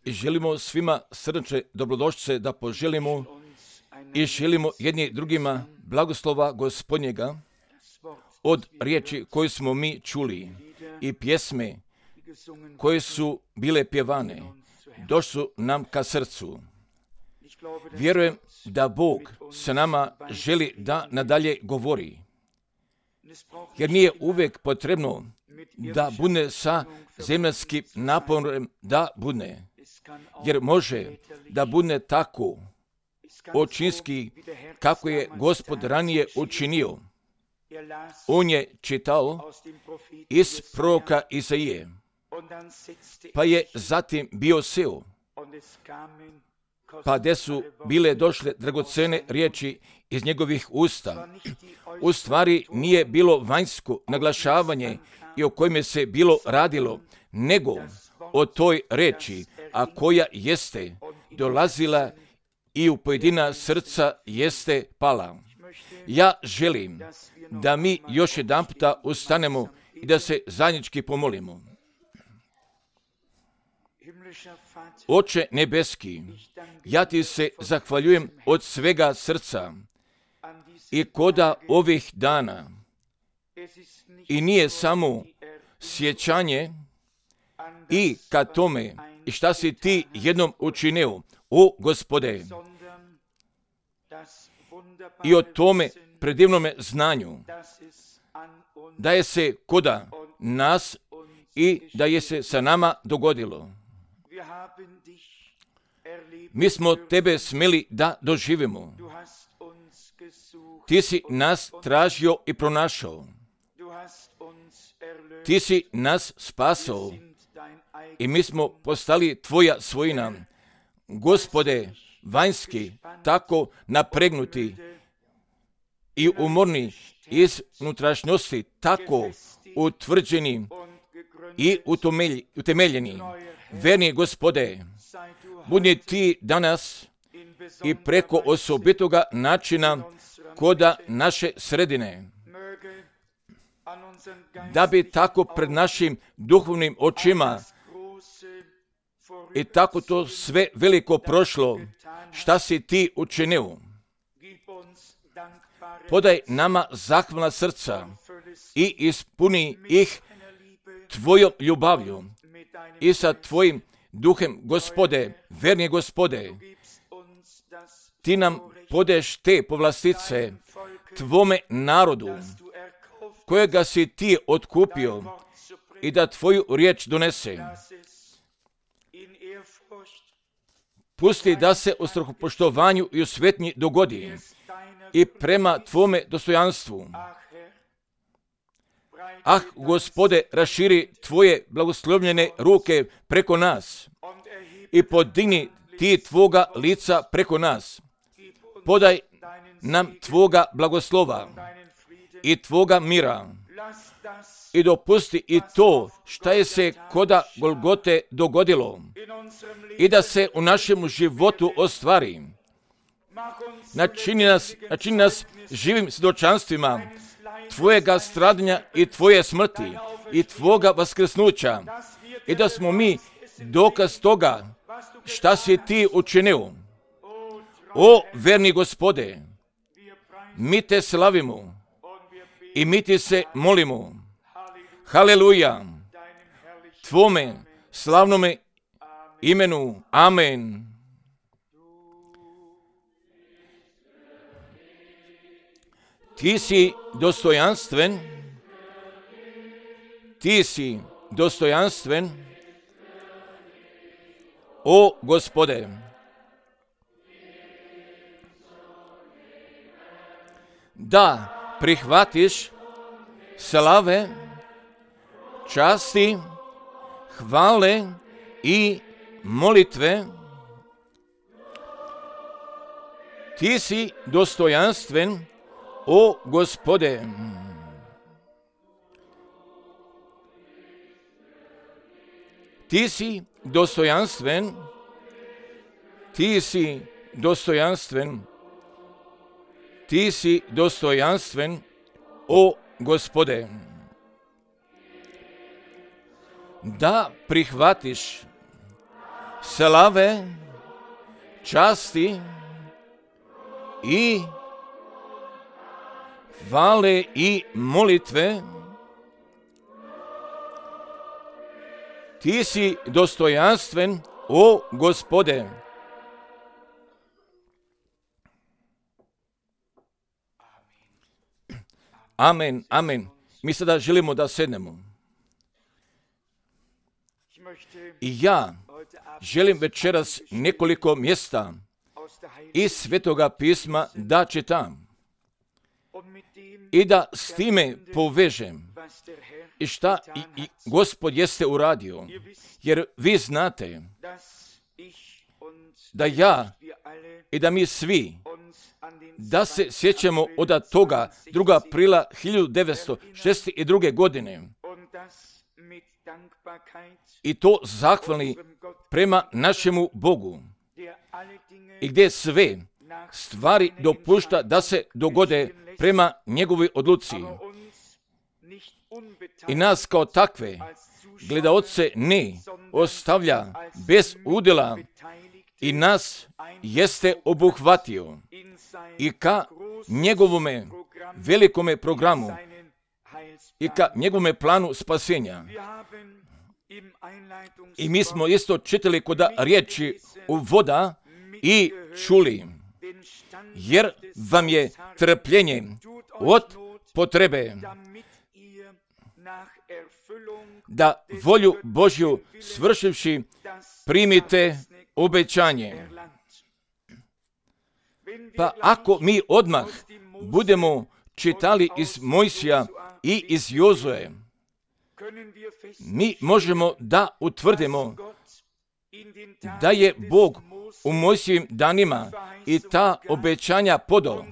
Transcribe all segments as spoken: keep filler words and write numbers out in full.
I želimo svima srdačne dobrodošlice da poželimo i želimo jedni drugima blagoslova Gospodnjega od riječi koje smo mi čuli i pjesme koje su bile pjevane, došli su nam ka srcu. Vjerujem da Bog sa nama želi da nadalje govori, jer nije uvijek potrebno da bude sa zemaljskim naporom da bude, jer može da bude tako očinski kako je Gospod ranije učinio. On je čitao iz proroka Izaije, pa je zatim bio seo, pa gdje su bile došle dragocene riječi iz njegovih usta. U stvari nije bilo vanjsko naglašavanje i o kojime se bilo radilo, nego o toj riječi, a koja jeste dolazila i u pojedina srca jeste pala. Ja želim da mi još jedan puta ustanemo i da se zajednički pomolimo. Oče nebeski, ja ti se zahvaljujem od svega srca i koda ovih dana. I nije samo sjećanje i ka tome i šta si ti jednom učinio, o Gospode, i o tome predivnome znanju, da je se koda nas i da je se sa nama dogodilo. Mi smo tebe smjeli da doživimo. Ti si nas tražio i pronašao. Ti si nas spasao i mi smo postali tvoja svojina. Gospode, vanjski, tako napregnuti i umorni iz unutrašnjosti, tako utvrđeni i utemeljeni. Verni Gospode, budi ti danas i preko osobitoga načina koda naše sredine, da bi tako pred našim duhovnim očima i tako to sve veliko prošlo, šta si ti učinio. Podaj nama zahvalna srca i ispuni ih tvojom ljubavlju i sa tvojim duhem, Gospode, verni Gospode. Ti nam podeš te povlastice tvome narodu, kojega si ti otkupio, i da tvoju riječ donese. Pusti da se u strahopoštovanju i u svetnji dogodi i prema tvome dostojanstvu. Ah, Gospode, raširi tvoje blagoslovljene ruke preko nas i podigni ti tvoga lica preko nas. Podaj nam tvoga blagoslova i tvoga mira i dopusti i to šta je se koda Golgote dogodilo i da se u našem životu ostvari. Načini nas, načini nas živim svjedočanstvima tvojega stradanja i tvoje smrti i tvoga vaskrsnuća i da smo mi dokaz toga šta si ti učinio. O verni Gospode, mi te slavimo i mi ti se molimo. Haleluja, tvome slavnome imenu. Amen. Ti si dostojanstven, ti si dostojanstven, o Gospode. Da prihvatiš slave, časti, hvale i molitve. Ti si dostojanstven, o Gospode. Ti si dostojanstven, ti si dostojanstven, ti si dostojanstven, o Gospode. Da prihvatiš slave, časti i hvale i molitve. Ti si dostojanstven, o Gospode. Amen, amen. Mi sada želimo da sednemo. I ja želim večeras nekoliko mjesta iz Svetoga pisma da čitam i da s time povežem i šta i, i Gospod jeste uradio. Jer vi znate da ja i da mi svi da se sjećamo od toga drugog aprila hiljadu devetsto šezdeset druge. godine i to zahvalni prema našemu Bogu i gdje sve stvari dopušta da se dogode prema njegovoj odluci. I nas kao takve gledaoce ne ostavlja bez udjela i nas jeste obuhvatio i ka njegovome velikome programu i ka njegovome planu spasenja. I mi smo isto čitali kod riječi u voda i čuli, jer vam je trpljenje od potrebe da volju Božju svršivši primite obećanje. Pa ako mi odmah budemo čitali iz Mojsija i iz Jozue, mi možemo da utvrdimo da je Bog u Mojsijevim danima i ta obećanja podao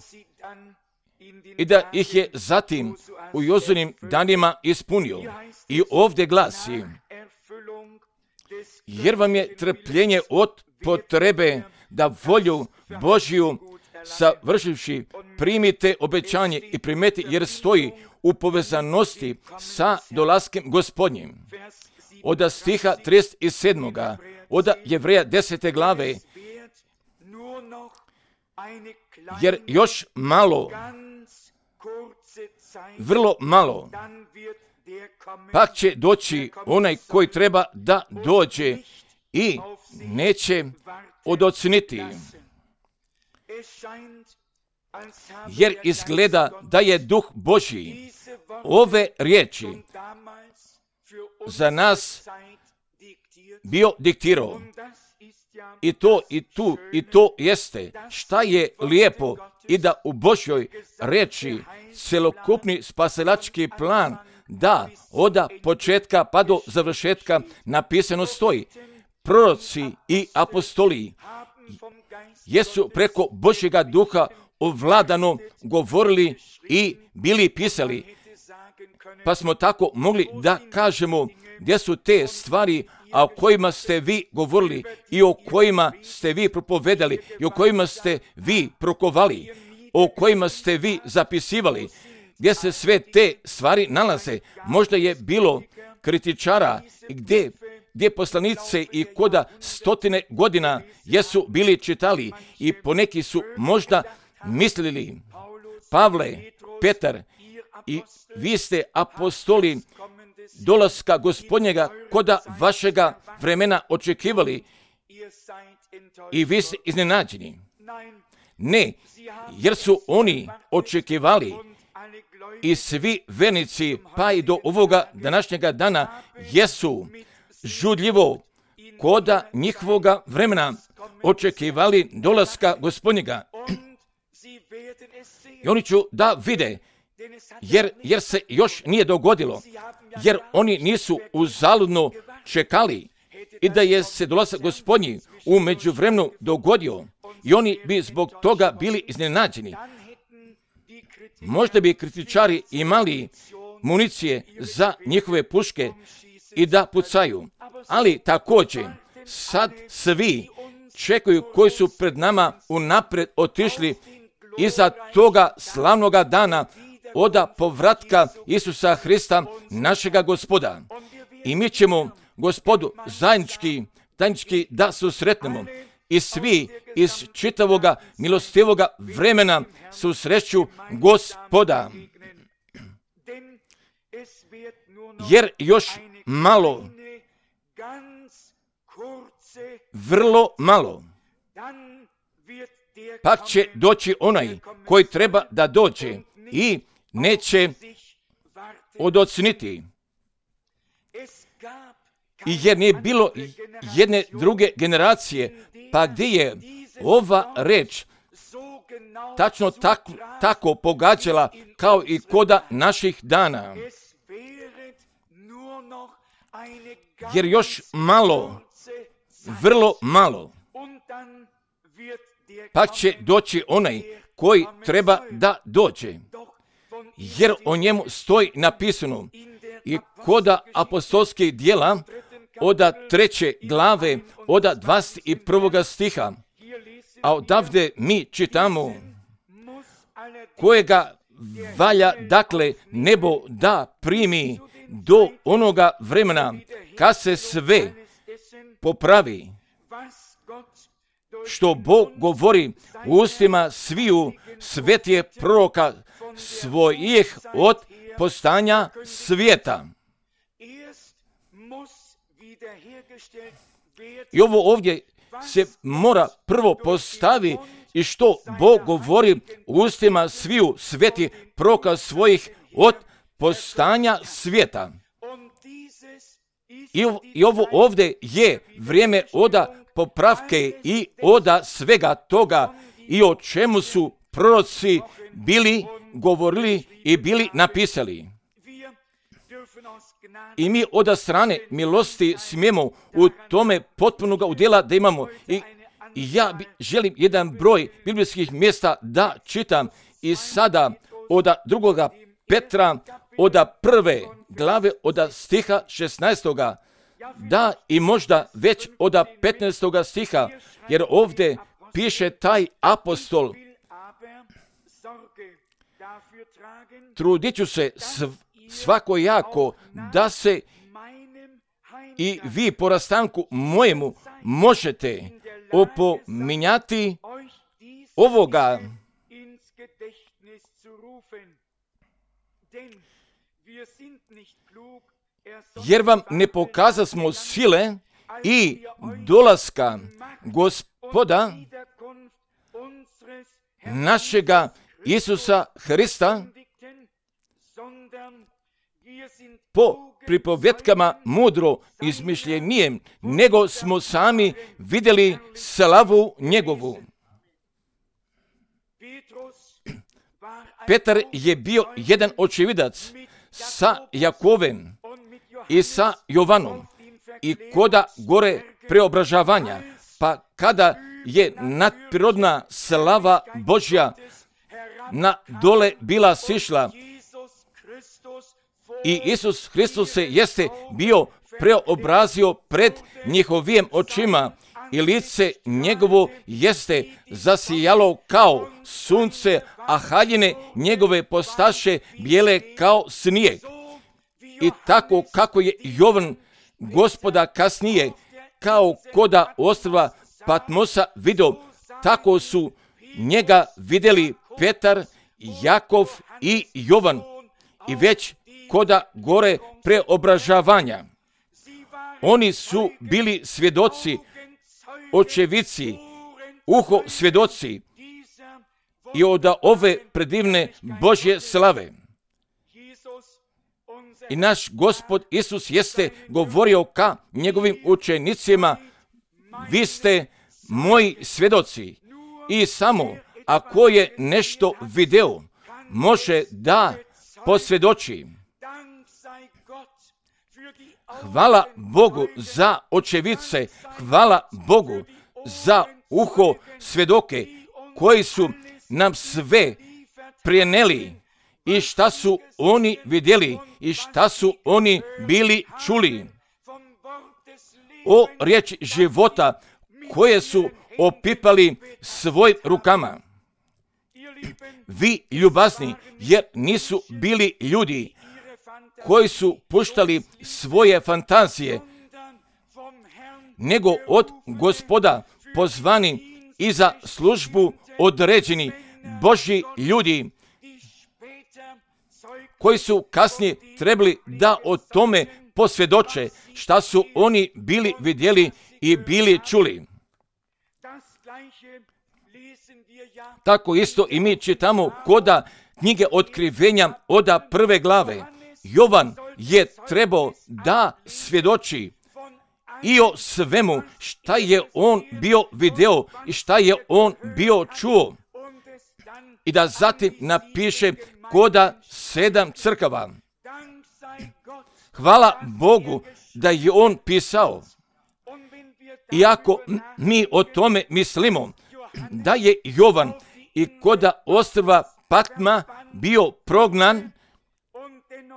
i da ih je zatim u Jozuinim danima ispunio. I ovdje glasi, jer vam je trpljenje od potrebe da volju Božju savršivši primite obećanje i primete, jer stoji u povezanosti sa dolaskom Gospodnjim. Od stiha trideset sedam. Od Jevreja desete glave, jer još malo, vrlo malo, pa će doći onaj koji treba da dođe i neće odocniti. Jer izgleda da je Duh Božji ove riječi za nas bio diktirao. I to i tu i to jeste šta je lijepo i da u Božjoj riječi celokupni spasilački plan da od početka pa do završetka napisano stoji. Proroci i apostoli jesu preko Božjega duha ovladano govorili i bili pisali. Pa smo tako mogli da kažemo gdje su te stvari o kojima ste vi govorili i o kojima ste vi propovedali i o kojima ste vi prokovali, o kojima ste vi zapisivali, gdje se sve te stvari nalaze. Možda je bilo kritičara gdje, gdje poslanice i koda stotine godina jesu bili čitali i poneki su možda mislili, Pavle, Petar, i vi ste apostoli dolaska Gospodnjega koda vašega vremena očekivali i vi ste iznenađeni. Ne, jer su oni očekivali i svi vernici pa i do ovoga današnjega dana jesu žudljivo koda njihovoga vremena očekivali dolaska Gospodnjega. I oni ću da vide, jer, jer se još nije dogodilo, jer oni nisu uzaludno čekali i da je se dolazak Gospodnji u međuvremenu dogodio i oni bi zbog toga bili iznenađeni. Možda bi kritičari imali municije za njihove puške i da pucaju, ali također sad svi čekaju koji su pred nama unaprijed otišli iza toga slavnoga dana od povratka Isusa Hrista, našega Gospoda. I mi ćemo Gospodu zajednički tajnički da susretnemo. I svi iz čitavoga milostivoga vremena susreću Gospoda. Jer još malo, vrlo malo, pak će doći onaj koji treba da dođe i neće odocniti. I jer nije bilo jedne druge generacije, pa gdje je ova reč tačno tako, tako pogađala kao i koda naših dana. Jer još malo, vrlo malo, pa će doći onaj koji treba da dođe. Jer o njemu stoji napisano i koda apostolskih djela oda treće glave, oda dvadeset prvoga stiha. A odavde mi čitamo kojega valja dakle nebo da primi do onoga vremena kad se sve popravi, što Bog govori u ustima sviju svetije proroka svojih od postanja svijeta. I ovo ovdje se mora prvo postavi i što Bog govori u ustima sviju svetih proroka svojih od postanja svijeta. I, I ovo ovdje je vrijeme oda popravke i oda svega toga i o čemu su proroci bili govorili i bili napisali. I mi oda strane milosti smijemo u tome potpunog udjela da imamo. I, i ja bi, želim jedan broj biblijskih mjesta da čitam i sada oda drugoga Petra, oda prve glave, oda stiha šesnaestoga, da i možda već oda petnaestoga stiha, jer ovdje piše taj apostol: trudit ću se svakojako da se i vi po rastanku mojemu možete opominjati ovoga. Jer vam ne pokazasmo sile i dolaska Gospoda našega Isusa Hrista po pripovjetkama mudro izmišljenijem, nego smo sami vidjeli slavu njegovu. Petar je bio jedan očevidac sa Jakovem i sa Jovanom i koda gore preobražavanja, pa kada je nadprirodna slava Božja na dole bila sišla i Isus Hristos se jeste bio preobrazio pred njihovim očima i lice njegovo jeste zasijalo kao sunce, a haljine njegove postaše bijele kao snijeg. I tako kako je Jovan Gospoda kasnije kao koda ostrva Patmosa vidio, tako su njega vidjeli Petar, Jakov i Jovan i već koda gore preobražavanja. Oni su bili svjedoci, očevici, uho svjedoci i od ove predivne Božje slave. I naš Gospod Isus jeste govorio ka njegovim učenicima: vi ste moji svjedoci. I samo ako je nešto video, može da posvjedoči. Hvala Bogu za očevice, hvala Bogu za uho svjedoke koji su nam sve prenijeli i šta su oni vidjeli i šta su oni bili čuli. O riječi života koje su opipali svojim rukama. Vi ljubazni, jer nisu bili ljudi koji su puštali svoje fantazije, nego od Gospoda pozvani i za službu određeni Božji ljudi, koji su kasnije trebali da o tome posvjedoče šta su oni bili vidjeli i bili čuli. Tako isto i mi čitamo koda knjige Otkrivenja oda prve glave. Jovan je trebao da svjedoči i o svemu šta je on bio video i šta je on bio čuo. I da zatim napiše koda sedam crkava. Hvala Bogu da je on pisao. Iako mi o tome mislimo da je Jovan i koda ostrva Patma bio prognan,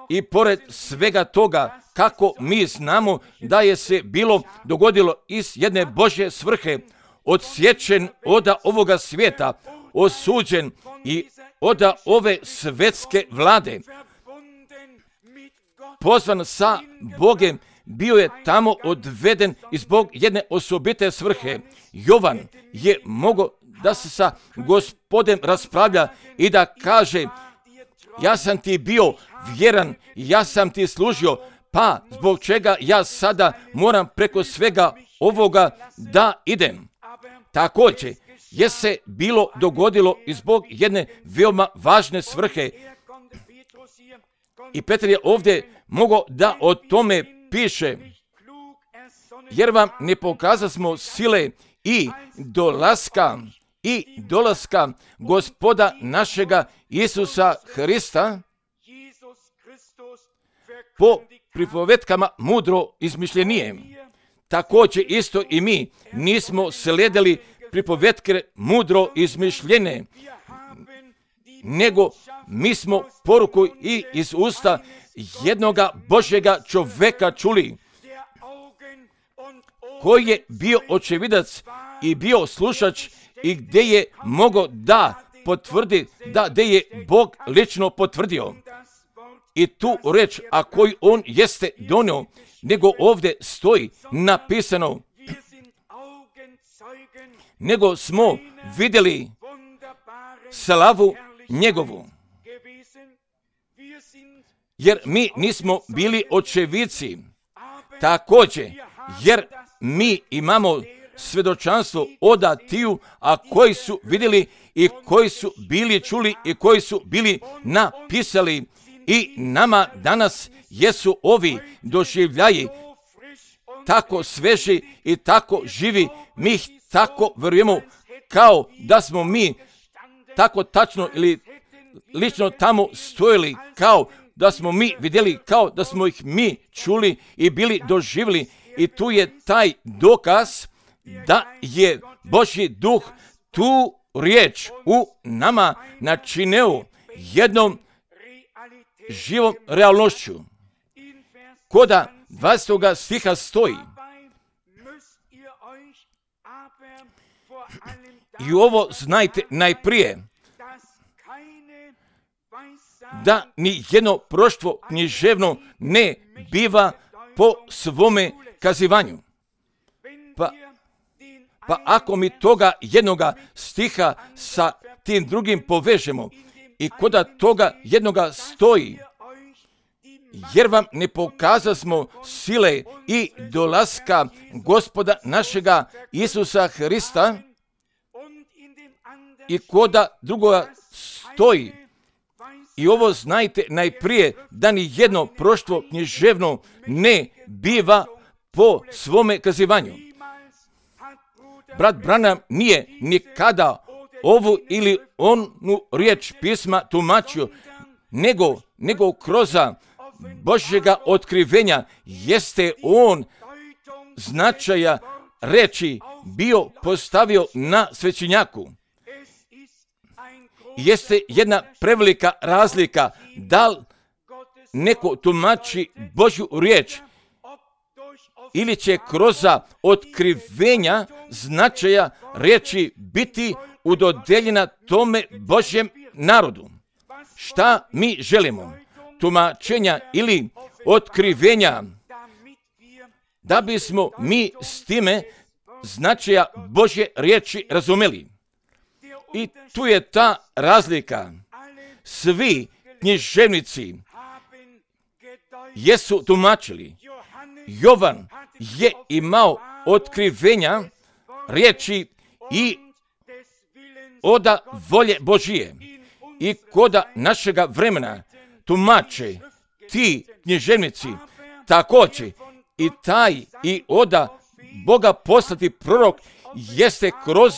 i pored svega toga, kako mi znamo da je se bilo dogodilo iz jedne Božje svrhe, odsječen oda ovoga svijeta, osuđen i oda ove svetske vlade, pozvan sa Bogem, bio je tamo odveden i zbog jedne osobite svrhe. Jovan je mogao da se sa Gospodem raspravlja i da kaže: ja sam ti bio vjeran, ja sam ti služio, pa zbog čega ja sada moram preko svega ovoga da idem. Također je se bilo dogodilo i zbog jedne veoma važne svrhe. I Petar je ovdje mogao da o tome piše: jer vam ne pokazasmo sile i dolaska i dolaska Gospoda našega Isusa Hrista po pripovetkama mudro izmišljenije. Također isto i mi nismo slijedili pripovetke mudro izmišljene, nego mi smo poruku i iz usta jednoga Božjega čoveka čuli, koji je bio očevidac i bio slušač i gdje je mogao da potvrdi da gdje je Bog lično potvrdio. I tu reč, a koju on jeste donio, nego ovdje stoji napisano: nego smo vidjeli slavu njegovu. Jer mi nismo bili očevici. Također, jer mi imamo svjedočanstvo oda tiju, a koji su vidjeli i koji su bili čuli i koji su bili napisali. I nama danas jesu ovi doživljaji tako sveži i tako živi, mi ih tako vjerujemo kao da smo mi tako tačno ili lično tamo stojili, kao da smo mi vidjeli, kao da smo ih mi čuli i bili doživjeli. I tu je taj dokaz da je Božji duh tu riječ u nama načinio jednom živom realnošću. Koda dvadesetog stiha stoji: i ovo znajte najprije, da ni jedno proštvo književno ne biva po svome kazivanju. Pa, pa ako mi toga jednoga stiha sa tim drugim povežemo i koda toga jednoga stoji: jer vam ne pokazasmo sile i dolaska Gospoda našega Isusa Hrista, i koda drugoga stoji: i ovo znajte najprije, da ni jedno proštvo književno ne biva po svome kazivanju. Brat Branham nije nikada ovu ili onu riječ pisma tumačio, nego, nego kroz Božjega otkrivenja jeste on značaja reči bio postavio na svećenjaku. Jeste jedna prevelika razlika da li neko tumači Božju riječ ili će kroz otkrivenja značaja riječi biti udodeljena tome Božjem narodu. Šta mi želimo? Tumačenja ili otkrivenja da bismo mi s time značaja Božje riječi razumeli. I tu je ta razlika. Svi književnici jesu tumačili. Jovan je imao otkrivenja riječi i oda volje Božije. I koda našega vremena tumače ti književnici također i taj i oda Boga poslati prorok jeste kroz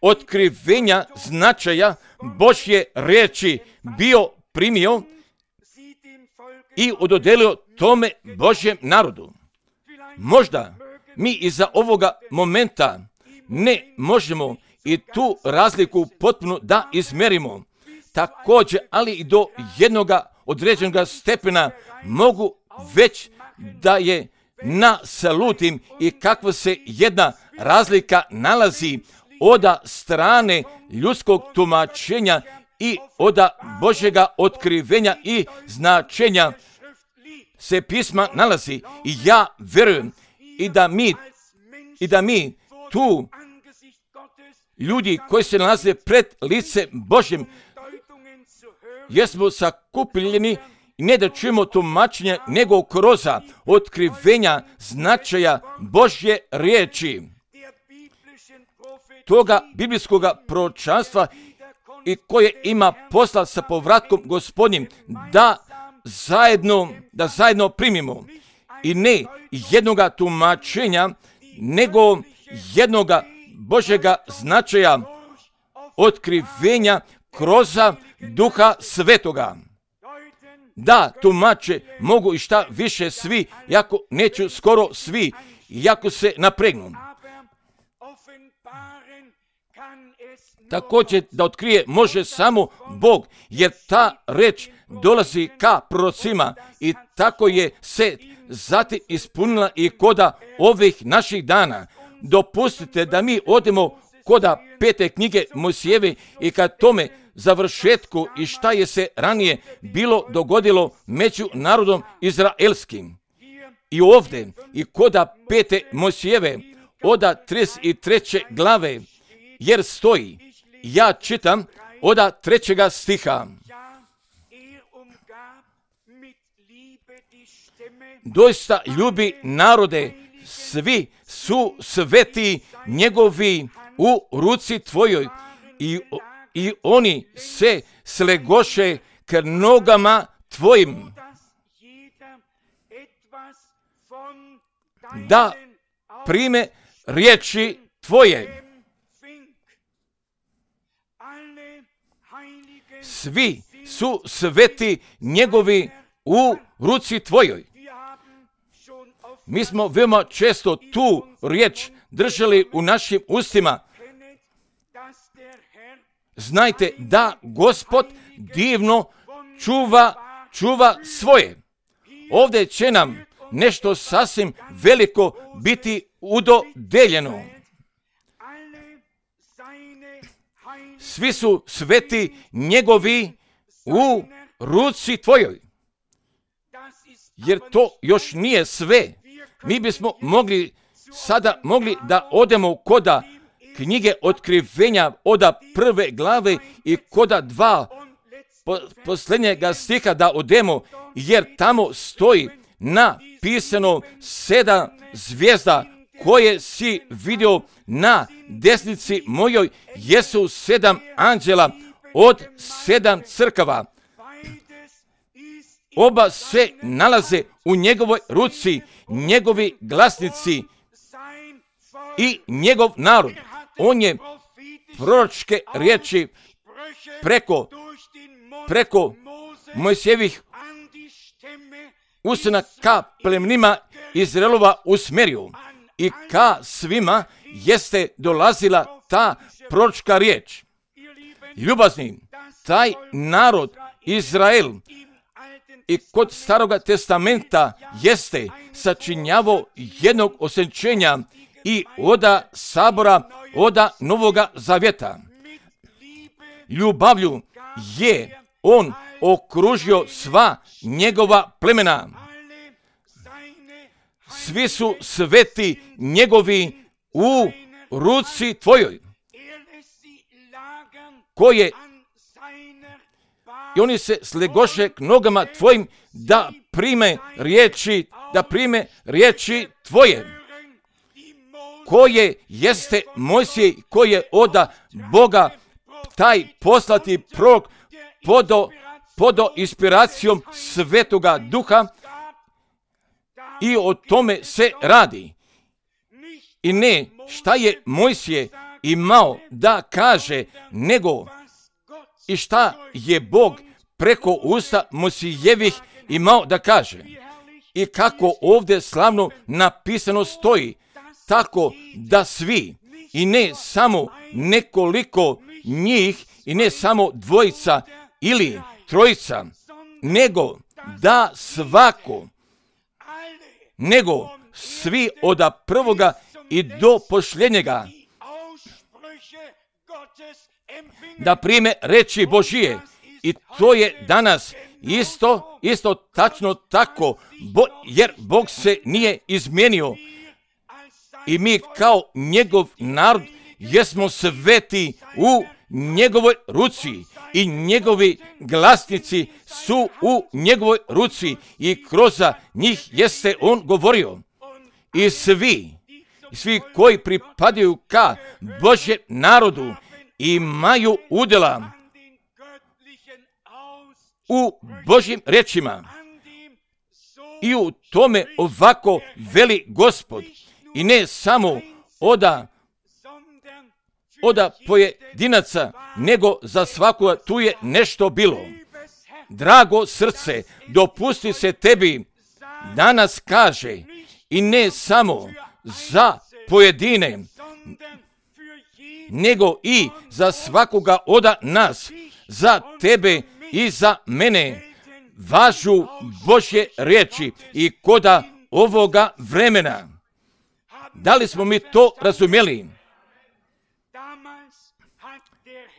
otkrivenja značaja Božje riječi bio primio i ododelio tome Božjem narodu. Možda mi iza ovoga momenta ne možemo i tu razliku potpuno da izmerimo. Također, ali i do jednoga određenog stepena mogu već da je nasalutim i kakva se jedna razlika nalazi od strane ljudskog tumačenja i od Božjega otkrivenja i značenja se pisma nalazi. I ja vjerujem i da mi, i da mi tu ljudi koji se nalaze pred lice Božjim jesmo sakupljeni i ne da čujemo tumačenja, nego kroz otkrivenja značaja Božje riječi, toga biblijskog proročanstva i koje ima posla sa povratkom Gospodnjim, da zajedno, da zajedno primimo i ne jednoga tumačenja, nego jednoga Božjega značaja otkrivenja kroz Duha Svetoga. Da, tumače mogu i šta više svi, jako neću skoro svi, jako se napregnu. Također da otkrije može samo Bog, jer ta reč dolazi ka prorocima i tako je se zatim ispunila i koda ovih naših dana. Dopustite da mi odemo koda pete knjige Mojsijeve i kad tome završetku i šta je se ranije bilo dogodilo među narodom izraelskim. I ovdje i koda pete Mojsijeve oda trideset treće glave, jer stoji, ja čitam oda trećega stiha. Doista ljubi narode, svi su sveti njegovi u ruci tvojoj i, i oni se slegoše k nogama tvojim. Da prime riječi tvoje. Svi su sveti njegovi u ruci tvojoj. Mi smo veoma često tu riječ držali u našim ustima. Znajte da Gospod divno čuva, čuva svoje. Ovdje će nam nešto sasvim veliko biti udodeljeno. Svi su sveti njegovi u ruci tvojoj. Jer to još nije sve. Mi bismo mogli sada mogli da odemo koda knjige otkrivenja oda prve glave i koda dva po, posljednjega stiha da odemo, jer tamo stoji napisano sedam zvijezda koje si vidio na desnici mojoj jesu sedam anđela od sedam crkava. Oba se nalaze u njegovoj ruci, njegovi glasnici i njegov narod. On je proročke riječi preko, preko Mojsijevih usana ka plemenima Izraelova usmjerio i ka svima jeste dolazila ta proročka riječ. Ljubazni, taj narod Izrael i kod Staroga testamenta jeste sačinjavao jednog osjećenja i oda sabora, oda Novoga Zavjeta. Ljubavlju je on okružio sva njegova plemena. svi su sveti njegovi u ruci tvojoj, koje i oni se slegoše k nogama tvojim da prime riječi, da prime riječi tvoje, koje jeste Mojsije, koje oda Boga taj poslati prorok podo, podo inspiracijom Svetoga Duha, i o tome se radi. I ne šta je Mojsije imao da kaže, nego i šta je Bog preko usta Mojsijevih imao da kaže. I kako ovdje slavno napisano stoji, tako da svi, i ne samo nekoliko njih, i ne samo dvojica ili trojica, nego da svako, nego svi od prvoga i do posljednjega, da prime reči Božije. I to je danas isto, isto tačno tako, bo, jer Bog se nije izmijenio. I mi kao njegov narod jesmo sveti u njegovoj ruci i njegovi glasnici su u njegovoj ruci i kroz njih jeste on govorio. I svi, svi koji pripadaju ka Božjem narodu imaju udjela u Božjim riječima. I u tome ovako veli Gospod. I ne samo oda, oda pojedinaca, nego za svakoga tu je nešto bilo. Drago srce, dopusti se tebi danas kaže, i ne samo za pojedine, nego i za svakoga oda nas, za tebe i za mene, važu Božje riječi i koda ovoga vremena. Da li smo mi to razumjeli?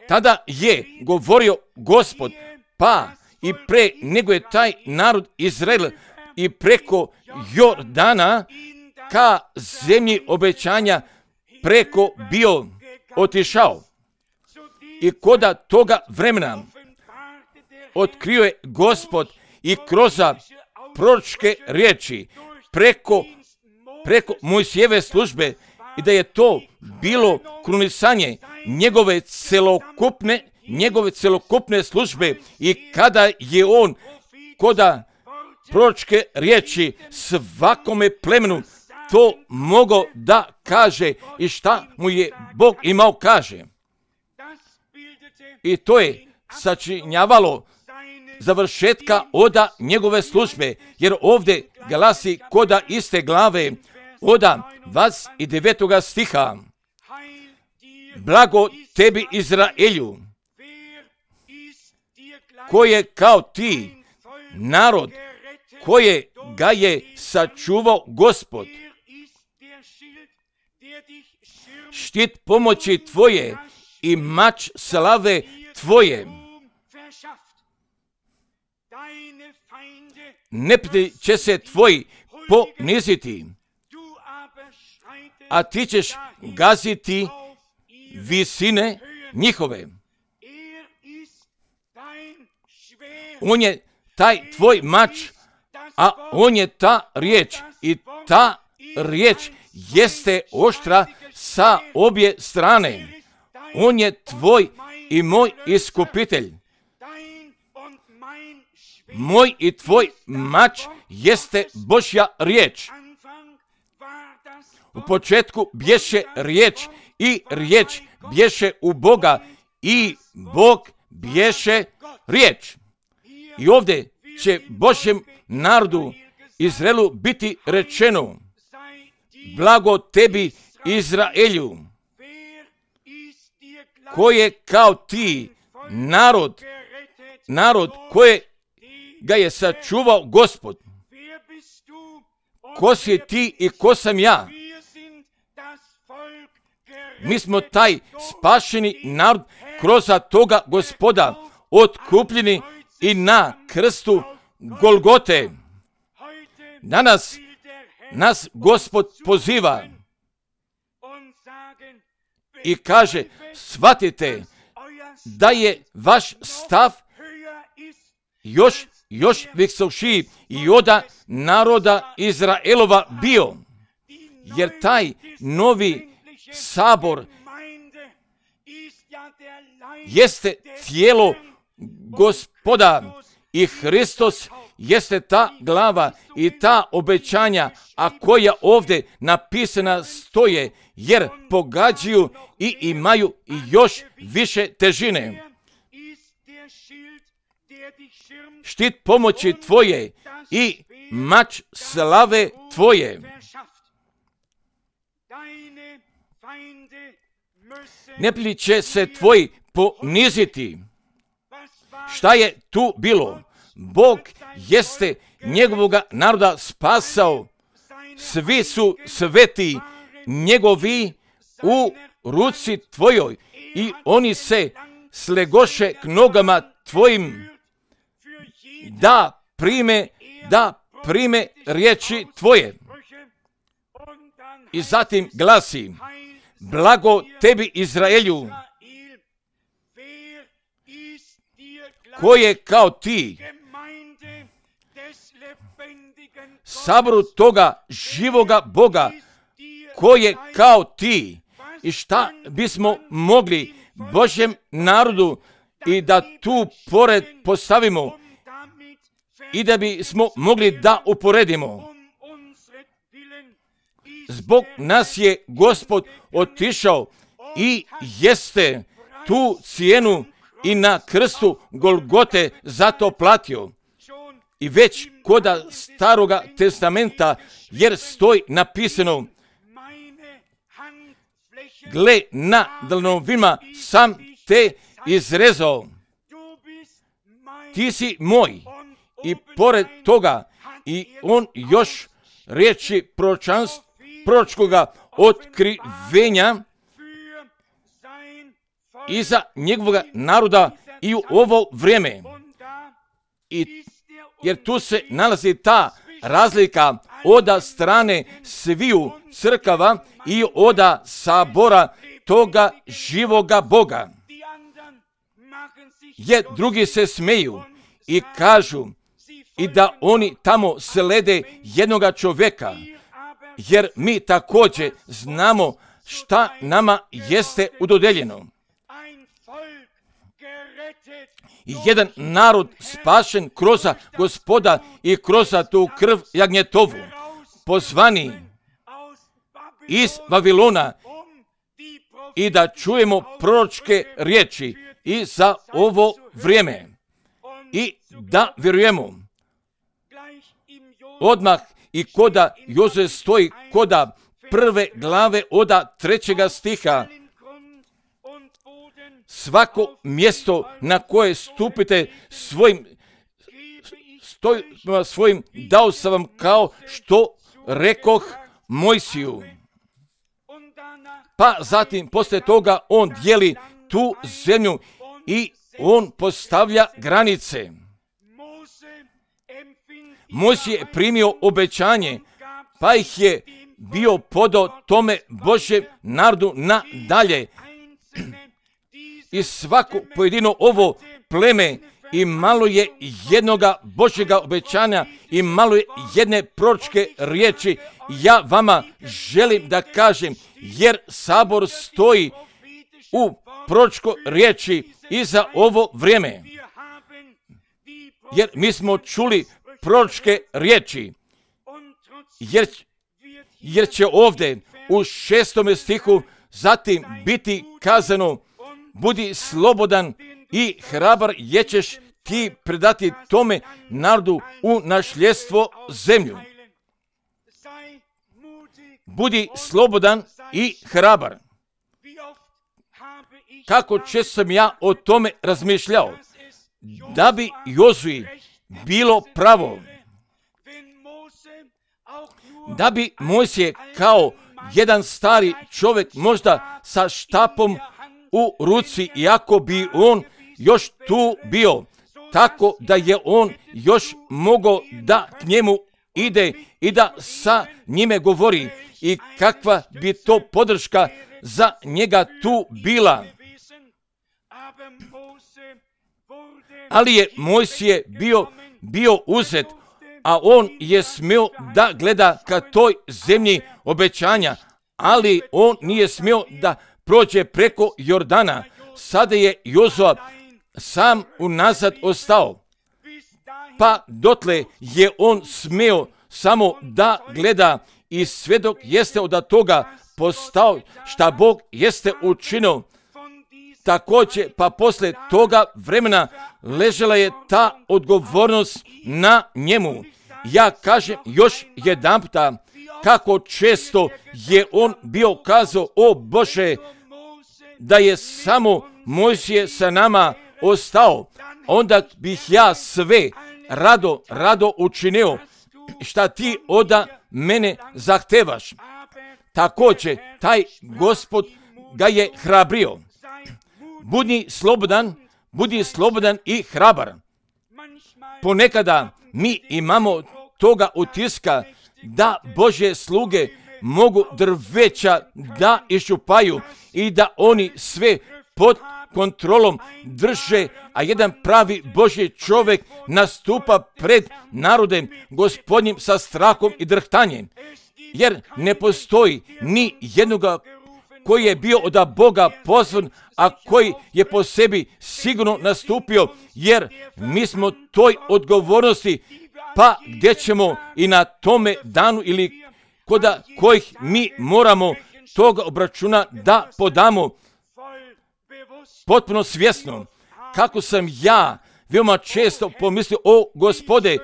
Tada je govorio Gospod, pa i pre nego je taj narod Izrael i preko Jordana ka zemlji obećanja preko bio otišao. I koda toga vremena otkrio je Gospod i kroz proročke riječi preko preko Mojsijeve službe, i da je to bilo krunisanje njegove celokupne, njegove celokupne službe, i kada je on koda proročke riječi svakome plemenu to mogao da kaže i šta mu je Bog imao kaže. I to je sačinjavalo završetka oda njegove službe, jer ovdje glasi koda iste glave oda dvadeset devetoga stiha. Blago tebi Izraelju, koje kao ti narod, koje ga je sačuvao Gospod. Štit pomoći tvoje i mač slave tvoje. Neprijatelji će se tvoji poniziti, a ti ćeš gaziti visine njihove. On je taj tvoj mač, a on je ta riječ, i ta riječ jeste oštra sa obje strane. On je tvoj i moj iskupitelj. Moj i tvoj mač jeste Božja riječ. U početku bješe riječ, i riječ bješe u Boga, i Bog bješe riječ. I ovdje će Božjem narodu Izraelu biti rečeno, blago tebi Izraelju, koje kao ti narod, narod koje ga je sačuvao Gospod. Ko si ti i ko sam ja? Mi smo taj spašeni narod kroz toga Gospoda, otkupljeni i na krstu Golgote. Danas nas Gospod poziva i kaže, shvatite da je vaš stav još, još visošiji i od naroda Izraelova bio, jer taj novi sabor jeste tijelo Gospoda i Hristos jeste ta glava i ta obećanja, a koja ovdje napisana stoje, jer pogađaju i imaju još više težine. Štit pomoći tvoje i mač slave tvoje. Neprijatelji će se tvoji poniziti. Šta je tu bilo? Bog jeste njegovoga naroda spasao. Svi su sveti njegovi u ruci tvojoj i oni se slegoše k nogama tvojim da prime, da prime riječi tvoje. I zatim glasi, blago tebi Izraelju, ko je kao ti, saboru toga živoga Boga, ko je kao ti. I šta bismo mogli Božjem narodu i da tu pored postavimo i da bismo mogli da uporedimo. Zbog nas je Gospod otišao i jeste tu cijenu i na krstu Golgote zato platio. I već koda Staroga testamenta, jer stoji napisano, gle, na dlanovima sam te izrezao. Ti si moj. I pored toga, i on još riječi proročkoga otkrivenja iza njegovog naroda i u ovo vrijeme. I jer tu se nalazi ta razlika od strane sviju crkava i od sabora toga živoga Boga. Jer drugi se smeju i kažu i da oni tamo slede jednoga čovjeka, jer mi također znamo šta nama jeste udodeljeno. Jedan narod spašen kroz Gospoda i kroz tu krv jagnjetovu, pozvani iz Vavilona, i da čujemo proročke riječi i za ovo vrijeme i da vjerujemo. Odmah i koda Joze stoji koda prve glave oda trećega stiha, svako mjesto na koje stupite svojim, stoj, svojim dao sam vam kao što rekoh Mojsiju. Pa zatim poslije toga on dijeli tu zemlju i on postavlja granice. Mojsij je primio obećanje, pa ih je bio podao tome Božjem narodu na dalje. I svako pojedino ovo pleme i malo je jednoga Božjega obećanja i malo je jedne proročke riječi. Ja vama želim da kažem, jer sabor stoji u proročkoj riječi i za ovo vrijeme. Jer mi smo čuli proročke riječi, jer, jer će ovdje u šestome stihu zatim biti kazano, budi slobodan i hrabar jer ćeš ti predati tome narodu u nasljedstvo zemlju. Budi slobodan i hrabar. Kako često sam ja o tome razmišljao, da bi Jozuji bilo pravo, da bi Mojsije kao jedan stari čovjek možda sa štapom u ruci, iako bi on još tu bio, tako da je on još mogao da k njemu ide i da sa njime govori i kakva bi to podrška za njega tu bila. Ali je Mojsije bio, bio uzet, a on je smio da gleda ka toj zemlji obećanja, ali on nije smio da prođe preko Jordana. Sada je Jozua sam unazad ostao, pa dotle je on smio samo da gleda i sve dok jeste od toga postao šta Bog jeste učinio. Također, pa posle toga vremena ležela je ta odgovornost na njemu. Ja kažem još jedanputa, kako često je on bio kazao, o Bože, da je samo Mojsije sa nama ostao, onda bih ja sve rado, rado učinio šta ti od mene zahtevaš. Također, taj Gospod ga je hrabrio. Budi slobodan, budi slobodan i hrabar. Ponekada mi imamo toga utiska da Božje sluge mogu drveća da iščupaju i da oni sve pod kontrolom drže, a jedan pravi Božji čovjek nastupa pred narodem Gospodnjim sa strahom i drhtanjem. Jer ne postoji ni jednoga koji je bio od Boga pozvan, a koji je po sebi sigurno nastupio, jer mi smo toj odgovornosti, pa gdje ćemo i na tome danu ili koda kojih mi moramo toga obračuna da podamo potpuno svjesno. Kako sam ja veoma često pomislio, o Gospode,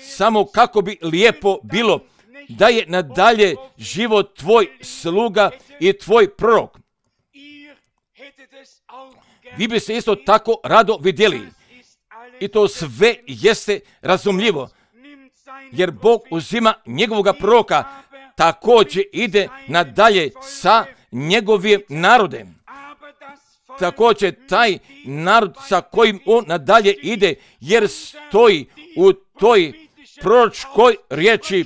samo kako bi lijepo bilo da je nadalje život tvoj sluga i tvoj prorok. Vi biste isto tako rado vidjeli. I to sve jeste razumljivo. Jer Bog uzima njegovoga proroka, također ide nadalje sa njegovim narodem. Također taj narod sa kojim on nadalje ide, jer stoji u toj proročkoj riječi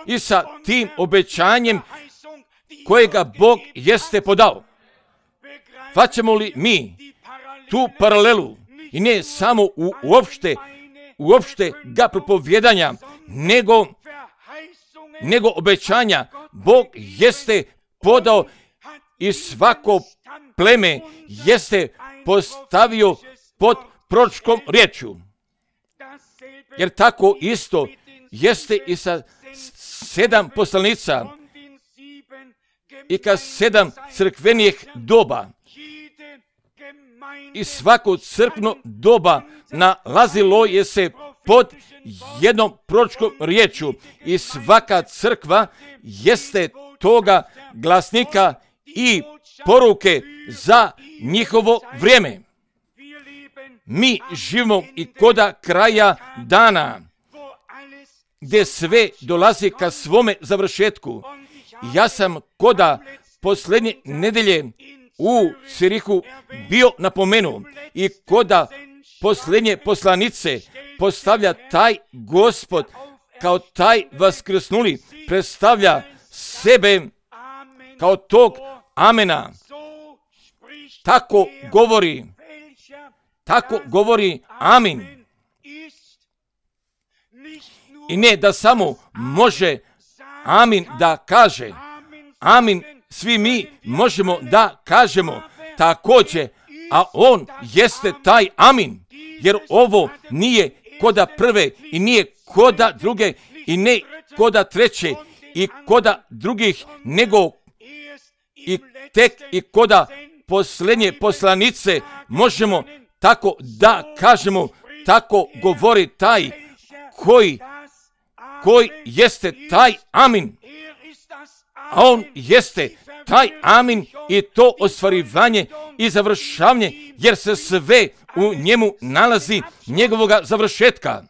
i sa tim obećanjem kojega Bog jeste podao. Faćemo li mi tu paralelu i ne samo u uopšte, uopšte ga propovjedanja, nego, nego obećanja Bog jeste podao i svako pleme jeste postavio pod proročkom riječju. Jer tako isto jeste i sa sedam poslanica i ka sedam crkvenih doba. I svako crkveno doba nalazilo je se pod jednom proročkom riječju i svaka crkva jeste toga glasnika i poruke za njihovo vrijeme. Mi živimo i koda kraja dana, gdje sve dolazi ka svome završetku. Ja sam koda posljednje nedelje u Cirihu bio napomenuo i koda posljednje poslanice postavlja taj Gospod kao taj vaskrsnuli, predstavlja sebe kao tog amena. Tako govori, tako govori amin. I ne da samo može amin da kaže, amin svi mi možemo da kažemo također, a on jeste taj amin, jer ovo nije koda prve i nije koda druge i ne koda treće i koda drugih, nego i tek i koda posljednje poslanice možemo tako da kažemo, tako govori taj koji, koji jeste taj amin. A on jeste taj amin i to ostvarivanje i završavanje, jer se sve u njemu nalazi njegovoga završetka.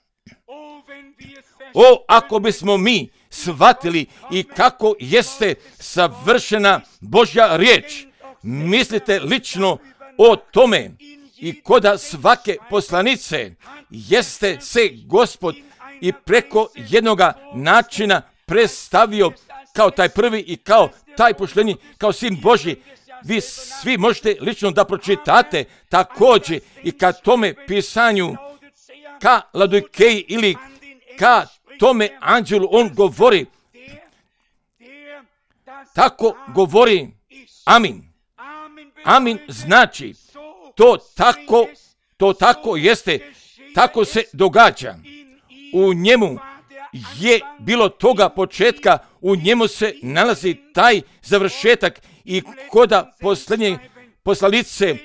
O, ako bismo mi shvatili i kako jeste savršena Božja riječ, mislite lično o tome i koda svake poslanice jeste se Gospod i preko jednoga načina predstavio kao taj prvi i kao taj poštenji, kao sin Božji. Vi svi možete lično da pročitate također i ka tome pisanju, ka Laodikeji ili ka tome anđelu on govori, tako govori amin. Amin znači to tako, to tako jeste, tako se događa. U njemu je bilo toga početka, u njemu se nalazi taj završetak i koda posljednje poslanice,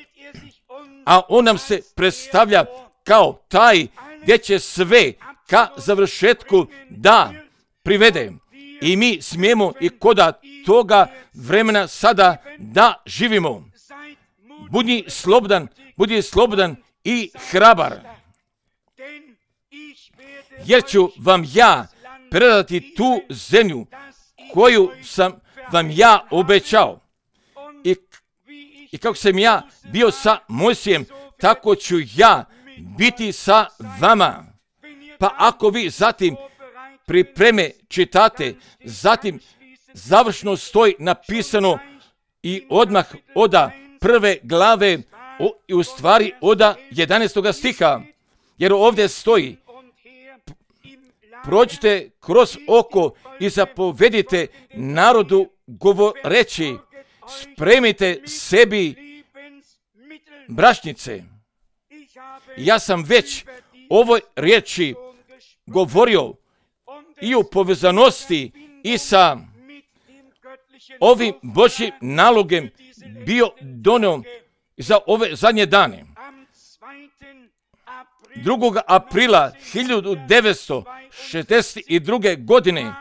a on nam se predstavlja kao taj gdje će sve ka završetku da privede. I mi smijemo i koda toga vremena sada da živimo. Budi slobodan, budi slobodan i hrabar. Jer ću vam ja predati tu zemlju koju sam vam ja obećao. I, i kako sam ja bio sa Mojsijem, tako ću ja biti sa vama. Pa ako vi zatim pripreme čitate, zatim završno stoji napisano i odmah oda prve glave o, i u stvari oda jedanaestog stiha, jer ovdje stoji: prođite kroz oko i zapovedite narodu govoreći, spremite sebi brašnice. Ja sam već ovoj riječi govorio i u povezanosti i sa ovim Božjim nalogom bio donio za ove zadnje dane. drugog aprila hiljadu devetsto šezdeset druge. godine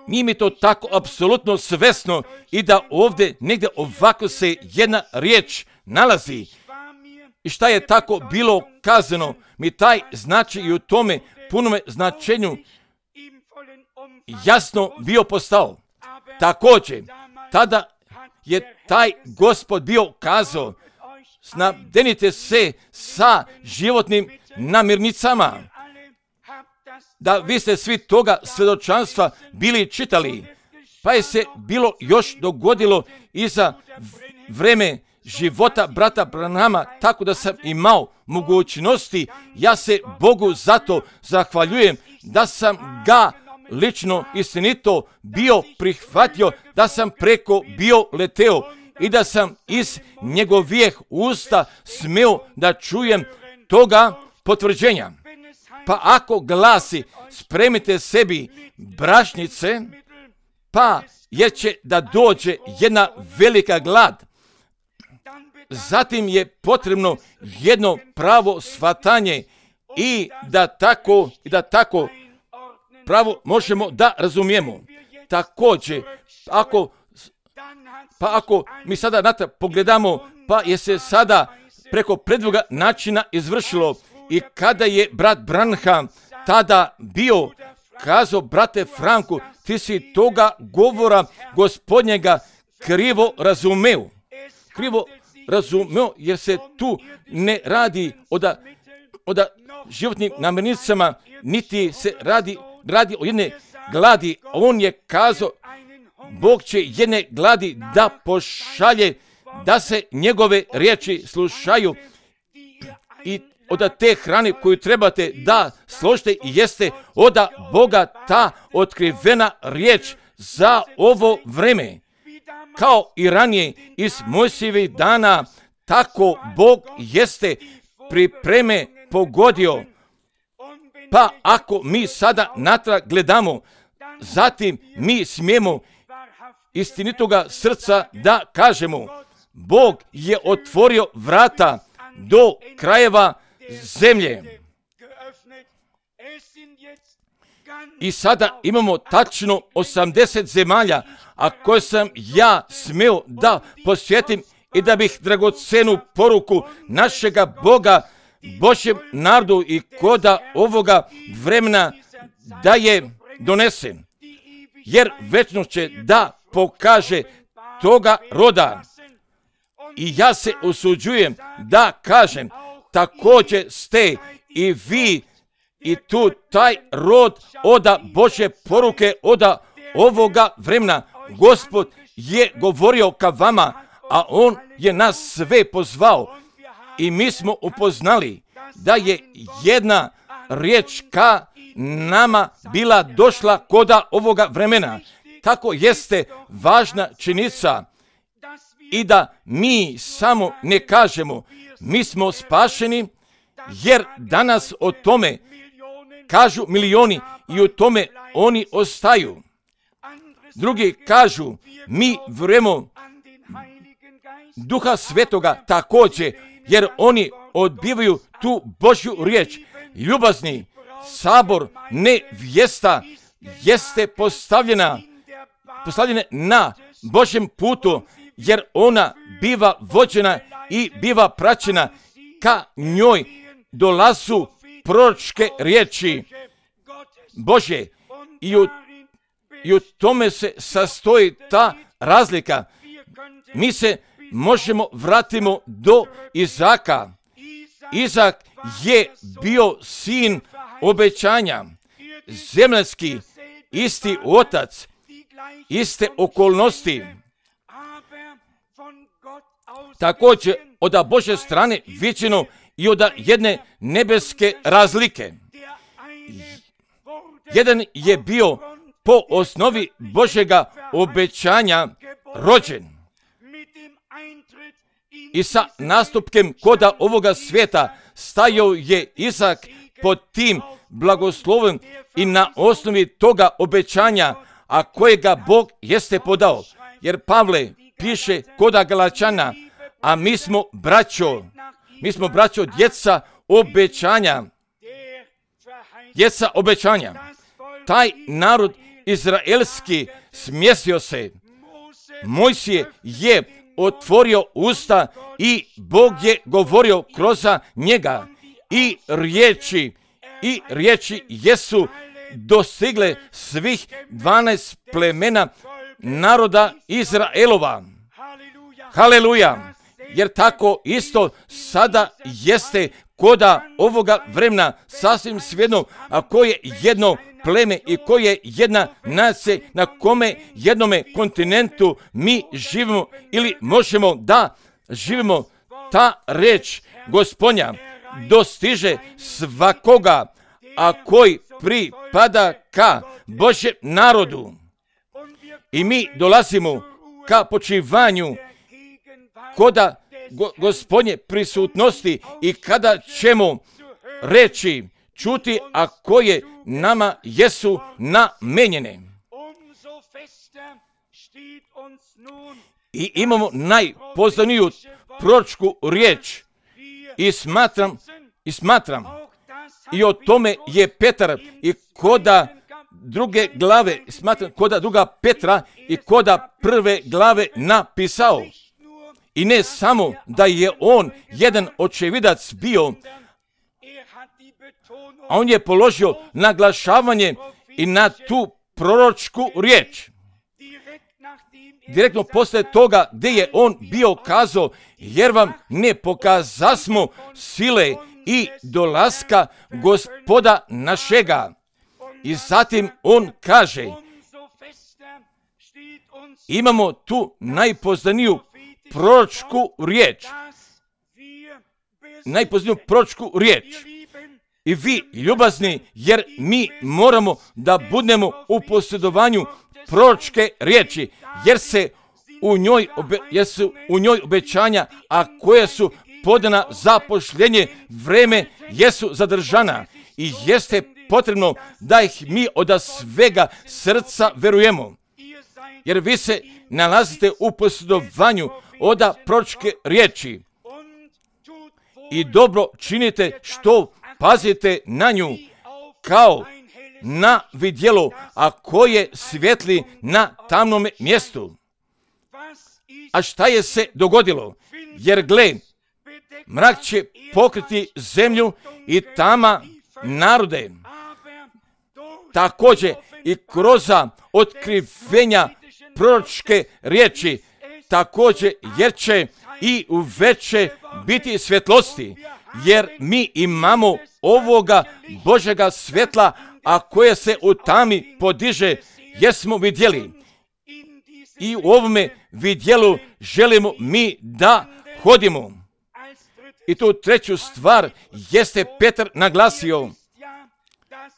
nije mi to tako apsolutno svesno i da ovdje negdje ovako se jedna riječ nalazi. I šta je tako bilo kazano, mi taj znači i u tome punome značenju jasno bio postao. Također, tada je taj Gospod bio kazao, snabdenite se sa životnim namirnicama. Da vi ste svi toga svjedočanstva bili čitali, pa je se bilo još dogodilo i za vreme života brata Branhama, tako da sam imao mogućnosti. Ja se Bogu zato zahvaljujem da sam ga lično istinito bio prihvatio, da sam preko bio leteo i da sam iz njegovih usta smio da čujem toga potvrđenja. Pa ako glasi spremite sebi brašnice, pa jer će da dođe jedna velika glad, zatim je potrebno jedno pravo shvatanje i da tako, i da tako pravo možemo da razumijemo. Također, ako, pa ako mi sada natrag pogledamo, pa je se sada preko predvoga načina izvršilo i kada je brat Branham tada bio kazao, brate Franku, ti si toga govora Gospodnjega krivo razumeo. Krivo razumeo, jer se tu ne radi oda, oda životnim namirnicama, niti se radi, radi o jedne gladi. On je kazao, Bog će jedne gladi da pošalje, da se njegove riječi slušaju i od te hrane koju trebate da složite i jeste od Boga ta otkrivena riječ za ovo vreme. Kao i ranije iz Mojsijevih dana, tako Bog jeste pripreme pogodio. Pa ako mi sada natrag gledamo, zatim mi smijemo istinitoga srca da kažemo, Bog je otvorio vrata do krajeva zemlje. I sada imamo tačno osamdeset zemalja, a koje sam ja smio da posjetim i da bih dragocenu poruku našega Boga Božjem narodu i koda ovoga vremena da je donesen. Jer večno će da pokaže toga roda. I ja se usuđujem da kažem, također ste i vi I tu taj rod oda Božje poruke, oda ovoga vremena. Gospod je govorio ka vama, a On je nas sve pozvao. I mi smo upoznali da je jedna riječ ka nama bila došla koda ovoga vremena. Tako jeste važna činjenica i da mi samo ne kažemo mi smo spašeni, jer danas o tome kažu milioni i o tome oni ostaju. Drugi kažu mi vjerujemo Duha Svetoga također, jer oni odbivaju tu Božju riječ. Ljubazni, sabor nevjesta jeste postavljena, postavljena na Božjem putu, jer ona biva vođena i biva praćena. Ka njoj dolazu proročke riječi Božje i u, i u tome se sastoji ta razlika. Mi se možemo vratimo do Izaka. Izak je bio sin obećanja, zemaljski, isti otac, iste okolnosti. Također od Božje strane viđeno i od jedne nebeske razlike. Jedan je bio po osnovi Božjega obećanja rođen. I sa nastupkem koda ovoga svijeta stajao je Izak pod tim blagoslovom i na osnovi toga obećanja, a kojega Bog jeste podao. Jer Pavle piše koda Galačana, a mi smo braćo, mi smo braćo djeca obećanja. Djeca obećanja. Taj narod izraelski smjestio se. Mojsije je otvorio usta i Bog je govorio kroz njega. I riječi, i riječi jesu dostigle svih dvanaest plemena naroda Izraelova. Haleluja! Jer tako isto sada jeste koda ovoga vremena sasvim svejedno, a koje jedno pleme i koje jedna nacija na kome jednome kontinentu mi živimo ili možemo da živimo, ta reč Gospodnja dostiže svakoga, a koji pripada ka Božjem narodu. I mi dolazimo ka počivanju koda go, Gospodnje prisutnosti i kada ćemo reći, čuti, a koje nama jesu namenjene. I imamo najpoznaniju proročku riječ i smatram, i smatram, i o tome je Petar i koda druge glave, smatram koda druga Petra i koda prve glave napisao. I ne samo da je on jedan očevidac bio, a on je položio naglašavanje i na tu proročku riječ. Direktno poslije toga gdje je on bio kazao, jer vam ne pokazasmo sile i dolaska Gospoda našega. I zatim on kaže, imamo tu najpoznaniju proročku riječ. Najpoznaniju proročku riječ. I vi, ljubazni, jer mi moramo da budemo u posjedovanju proročke riječi, jer se u njoj, obe, jer su u njoj obećanja, a koje su podana za pošljenje, vreme jesu zadržana i jeste potrebno da ih mi od svega srca verujemo. Jer vi se nalazite u posjedovanju od proročke riječi i dobro činite što pazite na nju kao na vidjelo, a koje svijetli na tamnom mjestu. A šta je se dogodilo? Jer gle, mrak će pokriti zemlju i tama narode. Također i kroz otkrivenja proročke riječi, također jer će i u veće biti svjetlosti. jer mi imamo ovoga Božega svjetla, a koje se u tami podiže, jesmo vidjeli. I u ovome vidjelu želimo mi da hodimo. I tu treću stvar jeste Petar naglasio.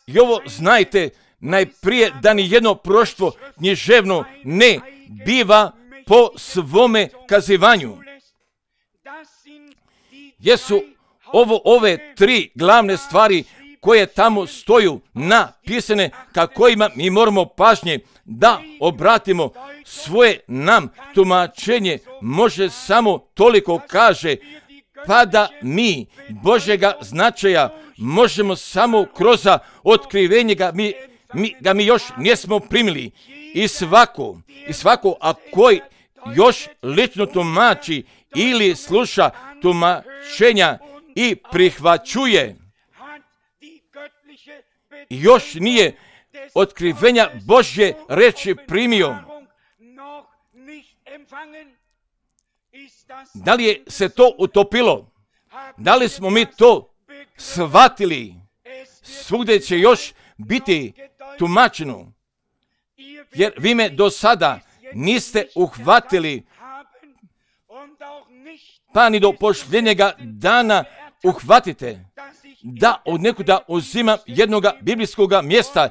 I ovo znajte, najprije da ni jedno proštvo književno ne biva po svome kazivanju. Jesu ovo ove tri glavne stvari koje tamo stoju napisane, ka kojima mi moramo pažnje da obratimo svoje nam tumačenje. Može samo toliko kaže, pa da mi Božjega značaja možemo samo kroz otkrivenje ga mi, mi, ga mi još nismo primili. I svako, i svako a koji još lično tumači ili sluša tumačenja i prihvaćuje, još nije otkrivenja Božje reči primio. Da li je se to utopilo? Da li smo mi to shvatili? Svugdje će još biti tumačeno. Jer vi me do sada niste uhvatili, pa ni do posljednjega dana uhvatite, da od nekuda uzimam jednoga biblijskog mjesta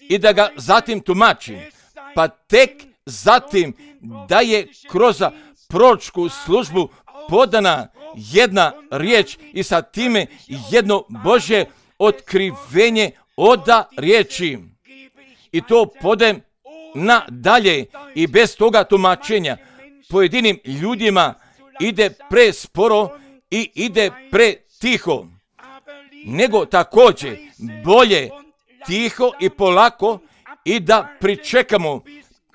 i da ga zatim tumačim, pa tek zatim da je kroz proročku službu podana jedna riječ i sa time jedno Božje otkrivenje oda riječi. I to podem nadalje i bez toga tumačenja pojedinim ljudima ide presporo i ide pretiho, nego također bolje tiho i polako i da pričekamo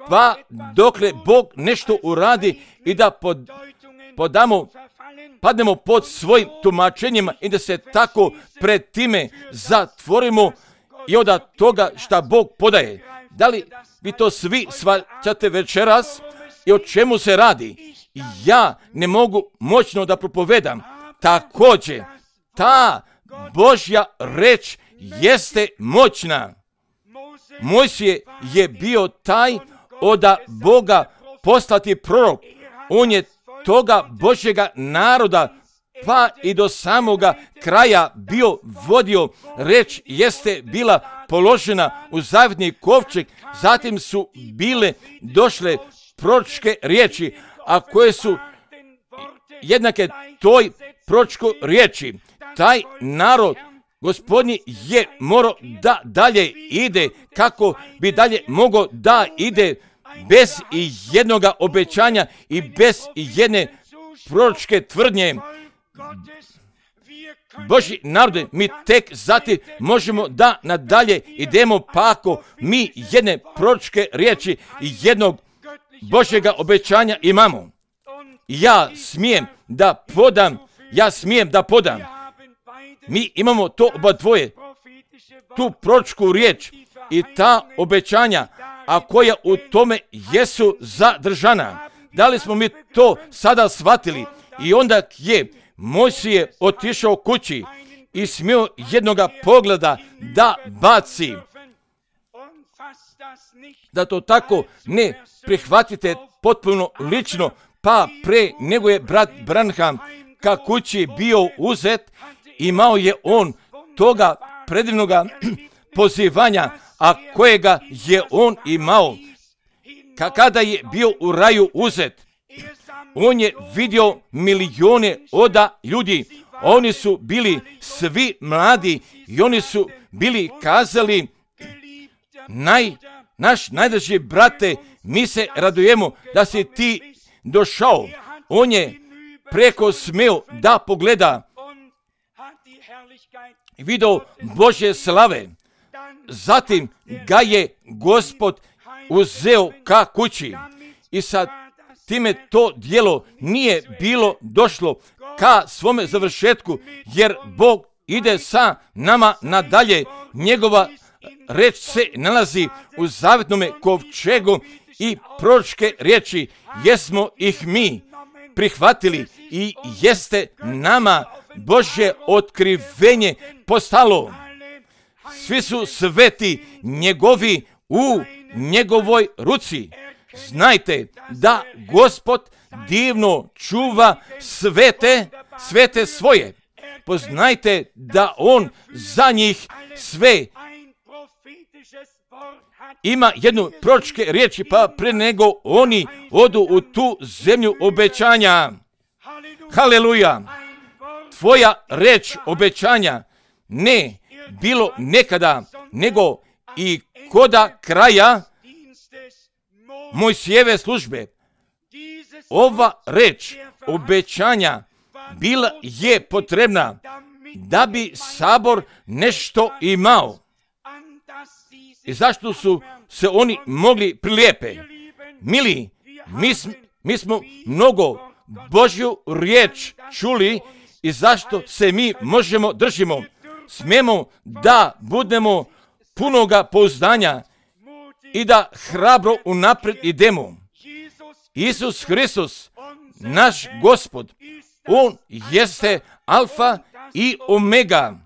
pa dokle Bog nešto uradi i da pod, podamo, padnemo pod svojim tumačenjima i da se tako pred time zatvorimo i od toga šta Bog podaje. Da li vi to svi shvaćate večeras i o čemu se radi? Ja ne mogu moćno da propovedam. Također, ta Božja reč jeste moćna. Mojsije je bio taj od Boga poslati prorok. On je toga Božjega naroda pa i do samoga kraja bio vodio. Reč jeste bila položena u zavjetni kovčeg, zatim su bile došle proročke riječi, a koje su jednake toj proročkoj riječi. Taj narod Gospodnji je morao da dalje ide, kako bi dalje mogao da ide bez i jednoga obećanja i bez i jedne proročke tvrdnje. Božji narode, mi tek zatim možemo da nadalje idemo, pa ako mi jedne proročke riječi i jednog Božjega obećanja imamo. Ja smijem da podam, ja smijem da podam. Mi imamo to oba dvoje, tu proročku riječ i ta obećanja, a koja u tome jesu zadržana. Da li smo mi to sada shvatili? I onda je Mojsije otišao kući i smio jednoga pogleda da baci. Da to tako ne prihvatite potpuno lično, pa pre nego je brat Branham ka kući bio uzet, imao je on toga predivnoga pozivanja, a kojega je on imao. Kada je bio u raju uzet, on je vidio milijone oda ljudi. Oni su bili svi mladi i oni su bili kazali, naj, naš najdraži brate, mi se radujemo da si ti došao. On je preko smeo da pogleda i vidio Božje slave. Zatim ga je Gospod uzeo ka kući i sa time to djelo nije bilo došlo ka svome završetku, jer Bog ide sa nama nadalje. Njegova reč se nalazi u zavjetnome kovčegu i proročke riječi jesmo ih mi prihvatili i jeste nama Božje otkrivenje postalo. Svi su sveti njegovi u njegovoj ruci. Znajte da Gospod divno čuva svete, svete svoje. Poznajte da on za njih sve ima jednu proročke riječi, pa pre nego oni odu u tu zemlju obećanja. Haleluja! Tvoja reč obećanja ne bilo nekada, nego i koda kraja Mojsijeve službe. Ova reč obećanja bila je potrebna da bi sabor nešto imao. I zašto su se oni mogli prilijepe? Mili, mi, sm, mi smo mnogo Božju riječ čuli i zašto se mi možemo držimo. Smemo da budemo punoga pouzdanja i da hrabro unaprijed idemo. Isus Hristos, naš Gospod, on jeste alfa i omega,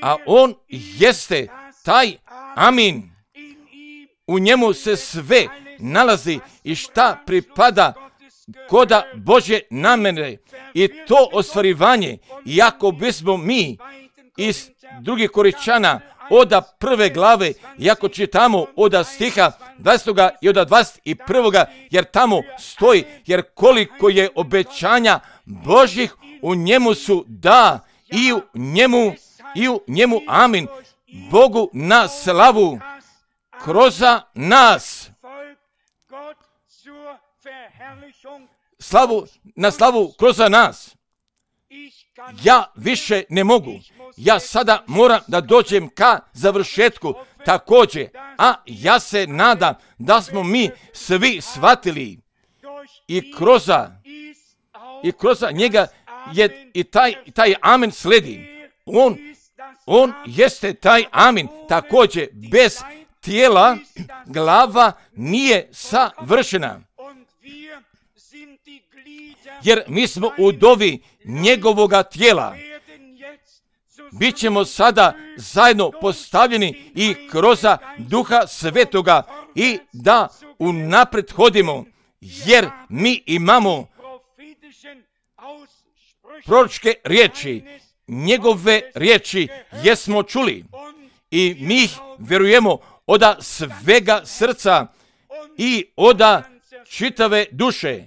a on jeste taj amin. U njemu se sve nalazi i šta pripada koda Božje namjere i to ostvarivanje, iako bismo mi iz drugih Koričana oda prve glave, iako čitamo oda stiha dvadesetog i oda dvadeset prvog jer tamo stoji, jer koliko je obećanja Božjih u njemu su da i u njemu, i u njemu amin. Bogu na slavu kroz nas. Slavu, na slavu kroz nas. Ja više ne mogu. Ja sada moram da dođem ka završetku također. A ja se nadam da smo mi svi shvatili i kroz, i kroz njega je i taj, taj amen sledi. On, on jeste taj amin. Također bez tijela glava nije savršena. Jer mi smo u dovi njegovoga tijela. Bićemo sada zajedno postavljeni i kroz Duha Svetoga i da unaprijed hodimo, jer mi imamo proročke riječi, njegove riječi jesmo čuli i mi ih vjerujemo oda svega srca i oda čitave duše.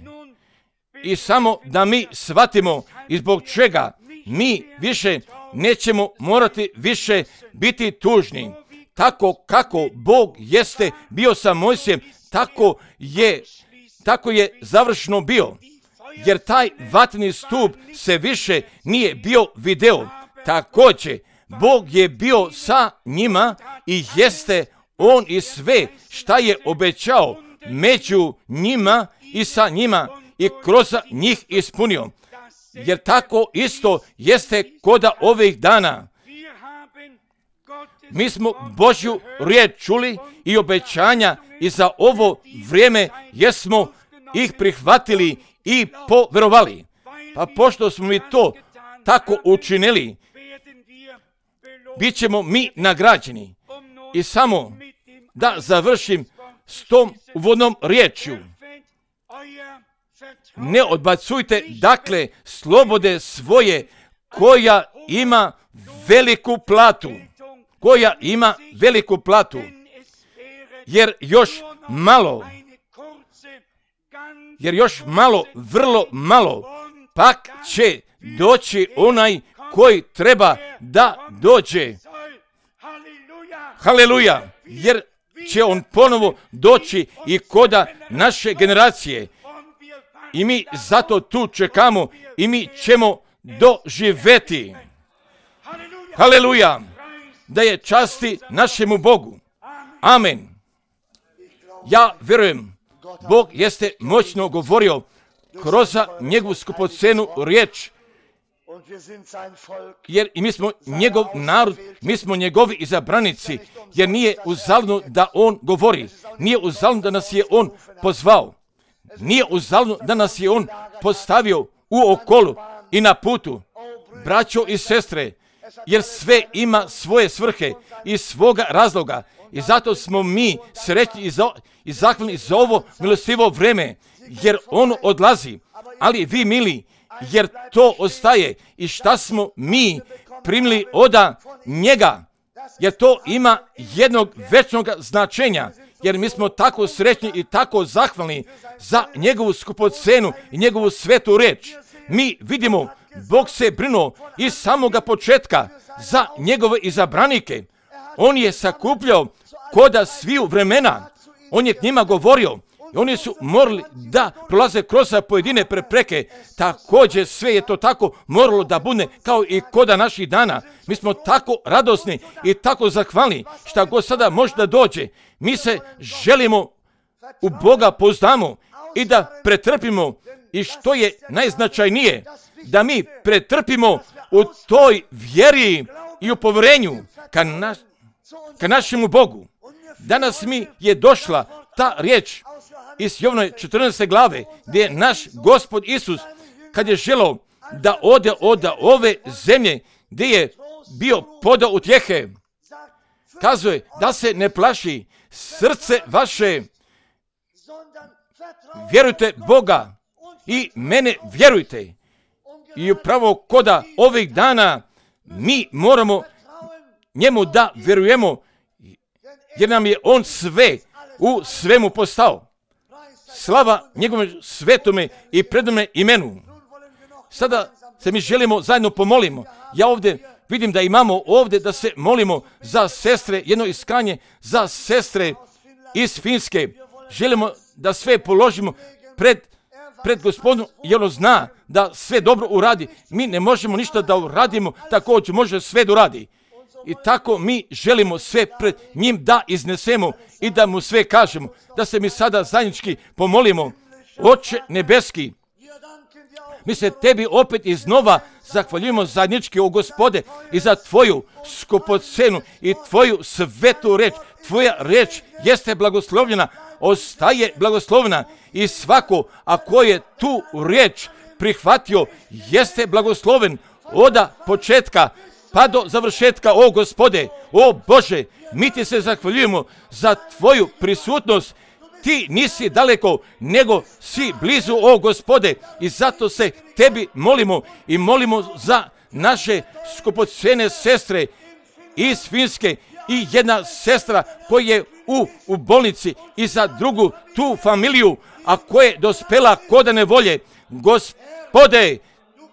I samo da mi shvatimo i zbog čega mi više nećemo morati više biti tužni. Tako kako Bog jeste bio sa Mojsijem, tako je, tako je završno bio. Jer taj vatreni stup se više nije bio video. Također, Bog je bio sa njima i jeste on i sve šta je obećao među njima i sa njima i kroz njih ispunio. Jer tako isto jeste koda ovih dana. Mi smo Božju riječ čuli i obećanja i za ovo vrijeme jesmo ih prihvatili i poverovali. Pa pošto smo mi to tako učinili, bit ćemo mi nagrađeni. I samo da završim s tom uvodnom riječju. Ne odbacujte dakle slobode svoje koja ima veliku platu. Koja ima veliku platu. Jer još malo, jer još malo, vrlo malo, pak će doći onaj koji treba da dođe. Haleluja! Jer će on ponovo doći i koda naše generacije. I mi zato tu čekamo i mi ćemo doživjeti. Haleluja! Da je časti našemu Bogu. Amen. Ja vjerujem, Bog jeste moćno govorio kroz njegovu skupocenu riječ. Jer i mi smo njegov narod, mi smo njegovi izabranici, jer nije uzaludno da on govori. Nije uzaludno da nas je on pozvao. Nije uzaludno da nas je on postavio u okolu i na putu. braćo i sestre, jer sve ima svoje svrhe i svoga razloga. I zato smo mi srećni i, za, i zahvalni za ovo milostivo vreme, jer ono odlazi. Ali vi, mili, jer to ostaje. I šta smo mi primili od njega, jer to ima jednog večnog značenja, jer mi smo tako srećni i tako zahvalni za njegovu skupocenu i njegovu svetu reč. Mi vidimo, Bog se brinuo iz samoga početka za njegove izabranike. On je sakupljao koda sviju vremena. On je k njima govorio i oni su morali da prolaze kroz pojedine prepreke. Također sve je to tako moralo da bude kao i koda naših dana. Mi smo tako radosni i tako zahvalni šta god sada može da dođe. Mi se želimo u Boga pouzdamo i da pretrpimo, i što je najznačajnije, da mi pretrpimo u toj vjeri i u povjerenju ka, na, ka našemu Bogu. Danas mi je došla ta riječ iz Jovnove četrnaeste glave, gdje je naš Gospod Isus, kad je želeo da ode od ove zemlje gdje je bio podao utjehe, kazuje da se ne plaši srce vaše, vjerujte Boga i mene vjerujte. I upravo koda ovih dana mi moramo njemu da vjerujemo, jer nam je on sve u svemu postao. Slava njegovom svetome i predome imenu. Sada se mi želimo zajedno pomolimo. Ja ovdje vidim da imamo ovdje da se molimo za sestre, jedno iskanje za sestre iz Finske. Želimo da sve položimo pred, pred Gospodom, jer on zna da sve dobro uradi. Mi ne možemo ništa da uradimo, također može sve da uradi. I tako mi želimo sve pred njim da iznesemo i da mu sve kažemo. Da se mi sada zajednički pomolimo. Oče nebeski, mi se tebi opet iznova zahvaljujemo zajednički, o Gospode, i za tvoju skupocenu i tvoju svetu reč. Tvoja reč jeste blagoslovljena, ostaje blagoslovna, i svako ako je tu riječ prihvatio jeste blagosloven od početka pa do završetka. O Gospode, o Bože, mi ti se zahvaljujemo za tvoju prisutnost. Ti nisi daleko, nego si blizu, o Gospode, i zato se tebi molimo i molimo za naše skupocene sestre iz Finske i jedna sestra koja je u, u bolnici, i za drugu tu familiju, a koja je dospela koda nevolje. Gospode,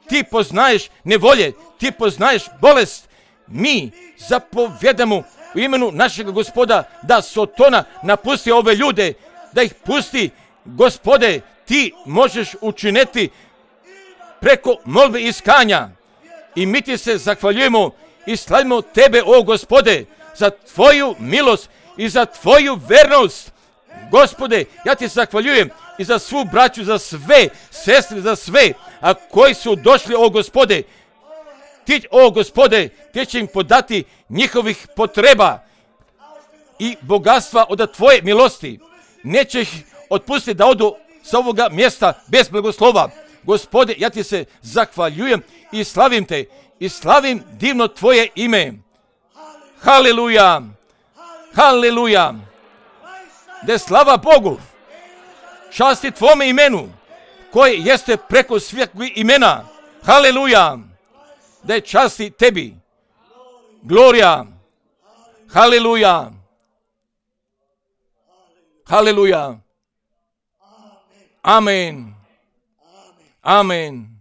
ti poznaješ nevolje, ti poznaješ bolest. Mi zapovjedamo u imenu našeg Gospoda da Sotona napusti ove ljude, da ih pusti. Gospode, ti možeš učiniti preko molbe i iskanja, i mi ti se zahvaljujemo i slavimo tebe, o Gospode, za tvoju milost i za tvoju vernost. Gospode, ja ti zahvaljujem i za svu braću, za sve sestre, za sve, a koji su došli, o Gospode. Ti, o Gospode, ti će im podati njihovih potreba i bogatstva od tvoje milosti. Neće ih otpustiti da odu sa ovoga mjesta bez blagoslova. Gospode, ja ti se zahvaljujem i slavim te i slavim divno tvoje ime. Haleluja, haleluja. Da slava Bogu, časti tvome imenu, koje jeste preko svih imena. Haleluja, da je časti tebi. Glorija, haleluja, haleluja. Amen, amen.